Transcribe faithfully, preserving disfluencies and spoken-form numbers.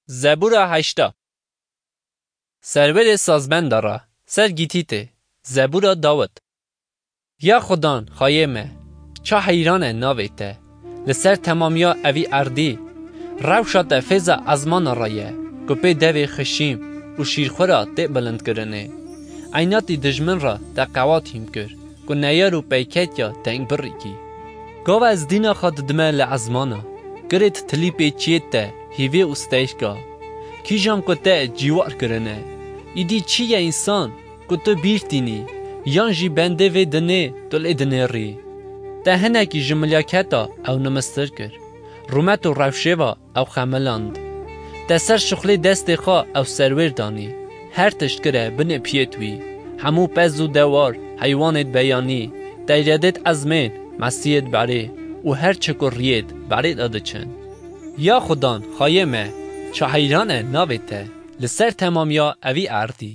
Zebûra heşta. Serwerê sazbenda re, ser gîtî tê. Zebûra Dawid. Ya Xudan, xayê me, ça heyran e navê te, li ser temamiya evî erdî. Rewşa te fêza ezmana re ye, ku pê devê xişîm û şîrxwe re tê bilindkirinê. Eynatî dijmin re te qewat hîm kir, ku neyar û peyketiya teng birîkî. Gava ez dîna xwe didime li ezmana, girêt tilî pê çiyêt te hîvê û steyka. Kîjan ku te cîwar kirine, îdî çi ye însan ku tu bîr tînî, yan jî bendê vê dinê tu lê dinêrî? Te hinekî ji milyaketa ew nimistir kir, rûmet û rewşê ve ew xemiland. Te ser şixulê destê xwe ew serwêr danî, her tişt kire binê piyêt wî. Hemû pez û dewar, heywanêt beyanî, teyredêt ezmên, mesiyêt berê û her çi ku riyêt berê de diçin. Ya Xudan, xayê me, ça heyran e navê te, li ser temamiya evî erdî.